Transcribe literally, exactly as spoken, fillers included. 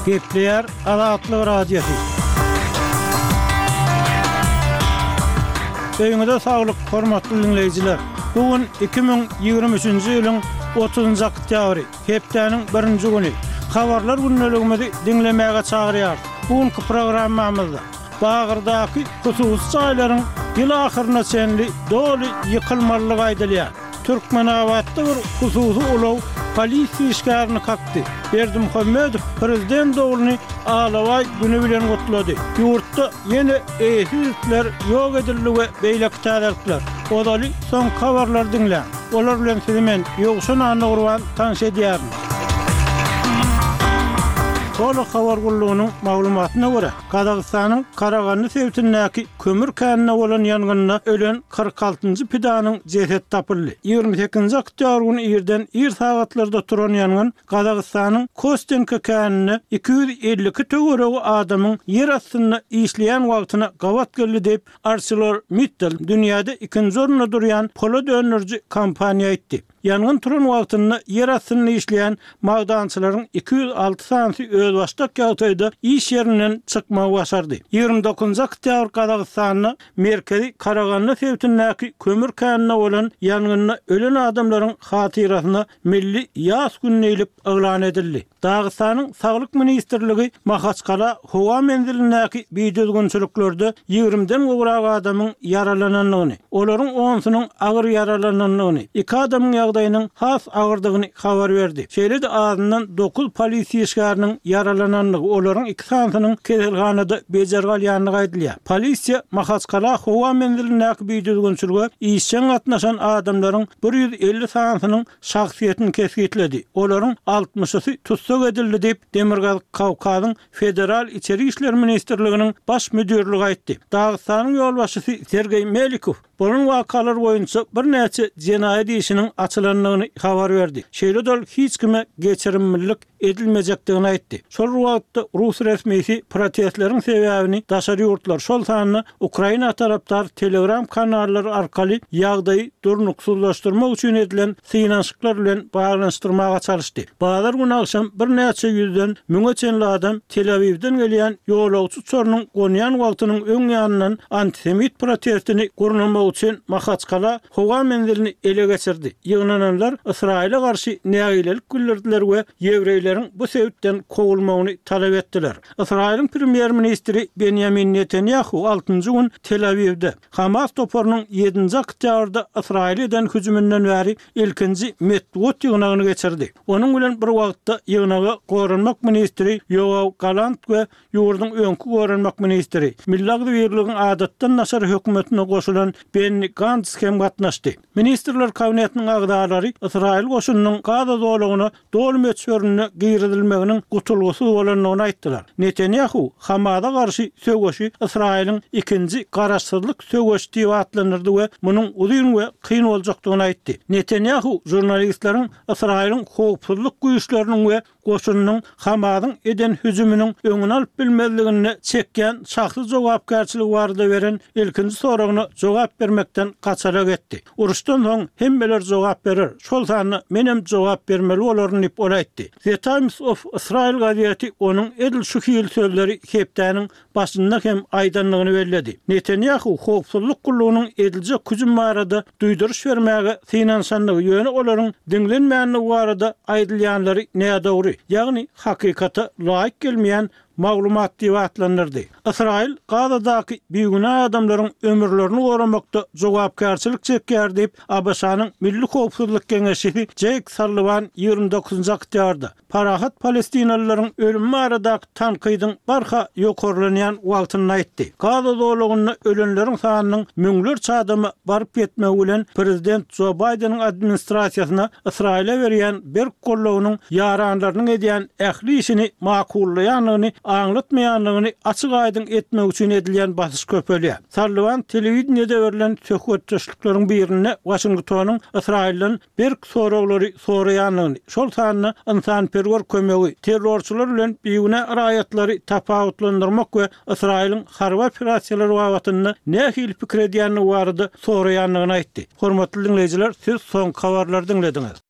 Gepleýär Azatlyk Radiosy. Öýüňize saglyk, hormatly diňleýjiler! Bu gün iki müň ýigrimi üçünji ýylyň otuzynjy oktýabry, hepdäniň birinji güni. Habarlar gündeligimizi diňlemäge çagyrýarys. Bu günki programmamyzda Bagyrdaky hususy jaýlaryň ýyl ahyryna çenli doly ýykylmalydygy aýdylýar. Türkmenabatda bir hususy ulag polisiýa işgärini kakdy. Berdimuhamedow prezident ogluny Alabaý güni bilen gutlady. Ýurtda ýene eýesiz itler ýok edildi we beýleki täzelikler. Ozaly soňky habarlary diňläň. Olar bilen sizi men, Ýowşan Annagurban tanyş edýärin. Holo habar gullugynyň maglumatyna görä, Gazagystanyň Karagandy sebitindäki kömür käninde bolan ýangynda ölen kyrk altynjy pidanyň jesedi tapyldy. Ýigrimi sekizinji oktýabr güni irden ir sagatlarda turan ýangyn Gazagystanyň Kostenka käninde iki ýüz elli iki töweregi adamyň ýer astynda işleýän wagtyna gabat geldi diýip, ArcelorMittal dünýäde ikinji orunda durýan polat öndüriji kompaniýa aýtdy. Ýangyn turan wagtynda ýer astynda işleýän magdançylaryň iki ýüz alty sanysy özbaşdak ýagdaýda iş ýerinden çykmagy başardy. Ýigrimi dokuzynjy oktýabr Gazagystanda merkezi Karagandy sebitindäki kömür käninde bolan ýangynda ölen adamlaryň hatyrasyna milli ýas güni diýlip yglan edildi. Dagystanyň Saglyk ministrligi Mahaçkala howa menzilindäki bidüzgünçiliklerde ýigrimiden gowrak adamyň ýaralanandygyny, olaryň onusynyň agyr ýaralanandygyny, iki adamyň ýagdaýynyň has agyrdygyny habar berdi. Şeýle-de azyndan dokuz polisiýa işgäriniň ýaralanandygy, olaryň iki sanysynyň keselhanada bejergi alýandygy aýdylýar. Polisiýa Mahaçkala howa menzilindäki bidüzgünçilige işjeň gatnaşan adamlaryň bir ýüz elli sanysynyň şahsyýetini kesgitledi, olaryň altmyşysy tussag edildi diýip, Demirgazyk Kawkazyň Federal içeri işler ministrliginiň baş müdirligi aýtdy. Dagystanyň ýolbaşçysy Sergeý Melikow bolan wakalar boýunça birnäçe jenaýat işiniň açylandygyny habar berdi. Şeýle-de ol hiç kime geçirimlilik edilmejekdigini aýtdy. Şol bir wagtda, rus resmisi protestleriň sebäbini daşary ýurtlar, şol sanda Ukraina tarapdar Telegram kanallary arkaly ýagdaýy durnuksyzlaşdyrmak üçin edilen synanyşyklar bilen baglanyşdyrmaga çalyşdy. Bazar güni agşam birnäçe ýüzden müňe çenli adam Tel-Awiwden gelýän ýolagçy uçarynyň gonýan wagtynyň öň ýanyndan antisemit protestini gurnamak üçin Mahaçkala howa menzilini ele geçirdi. Ýygnananlar Ysraýyla garşy nägilelik bildirdiler we ýewreýleriň bu sebitden kowulmagyny talap etdiler. Ysraýylyň premýer-ministri Benýamin Netanýahu altynjy gün Tel-Awiwde, Hamas toparynyň ýedinji oktýabrda Ysraýyla eden hüjüminden bäri ilkinji metbugat ýygnagyny geçirdi. Onuň bilen bir wagtda ýygnaga goranmak ministri Ýoaw Galant we ýurduň öňki goranmak ministri, Milli agzybirligiň adatdan daşary hökümetine goşulan Benni Gants hem gatnaşdy. Ministrler Kabinetiniň agzalary Ysraýyl goşunynyň Gaza zolagyna doly möçberinde girizilmeginiň gutulgysyz bolandygyny aýtdylar. Netanýahu Hamasa garşy söweşi Ysraýylyň ikinji garaşsyzlyk söweşi diýip atlandyrdy we munuň uzyn we kyn boljakdygyny aýtdy. Netanýahu žurnalistleriň Ysraýylyň howpsuzlyk güýçleriniň we goşunynyň Hamasyň eden hüjüminiň öňüni alyp bilmezliginde çekýän şahsy jogapkärçiligi barada beren ilkinji soragyna jogap bermekden gaçarak etdi. Uruşdan soň hemmeler jogap berer, şol sanda menem jogap bermeli bolaryn diýip, ol aýtdy. The Times of Israel gazeti onuň edil şu hili sözleri hepdäniň başynda hem aýdandygyny belledi. Netanýahu howpsuzlyk gullugynyň ediljek hüjüm barada duýduryş bermäge synanyşandygy, ýöne olaryň diňlenmändigi barada aýdylýanlary nädogry, ýagny hakykata laýyk gelmeýän maglumat diýip atlandyrdy. Ysraýyl Gazadaky bigünä adamlaryň ömürlerini goramakda jogapkärçilik çekýär diýip, ABŞ-nyň Milli howpsuzlyk geňeşçisi Jeýk Salliwan ýigrimi dokuzynjy oktýabrda, parahat palestinalylaryň ölümi baradaky tankydyň barha ýokarlanýan wagtynda aýtdy. Gaza zolagynda ölenleriň sanynyň müňlerçe adama baryp ýetmegi bilen prezident Jo Baýdeniň administrasiýasyna Ysraýyla berýän berk goldawynyň ýaranlarynyň edýän ähli işini makullaýandygyny aňlatmaýandygyny açyk-aýdyň etmek üçin edilýän basyş köpelýär. Salliwan telewideniýede berlen söhbetdeşlikleriň birinde Waşingtonyň Ysraýyldan berk soraglary soraýandygyny, şol sanda ynsanperwer kömegi, terrorçylar bilen bigünä raýatlary tapawutlandyrmak we Ysraýylyň harby operasiýalary babatynda nähili pikir edýändigi barada soraýandygyny aýtdy. Hormatly diňleýjiler, siz soňky habarlary diňlediňiz.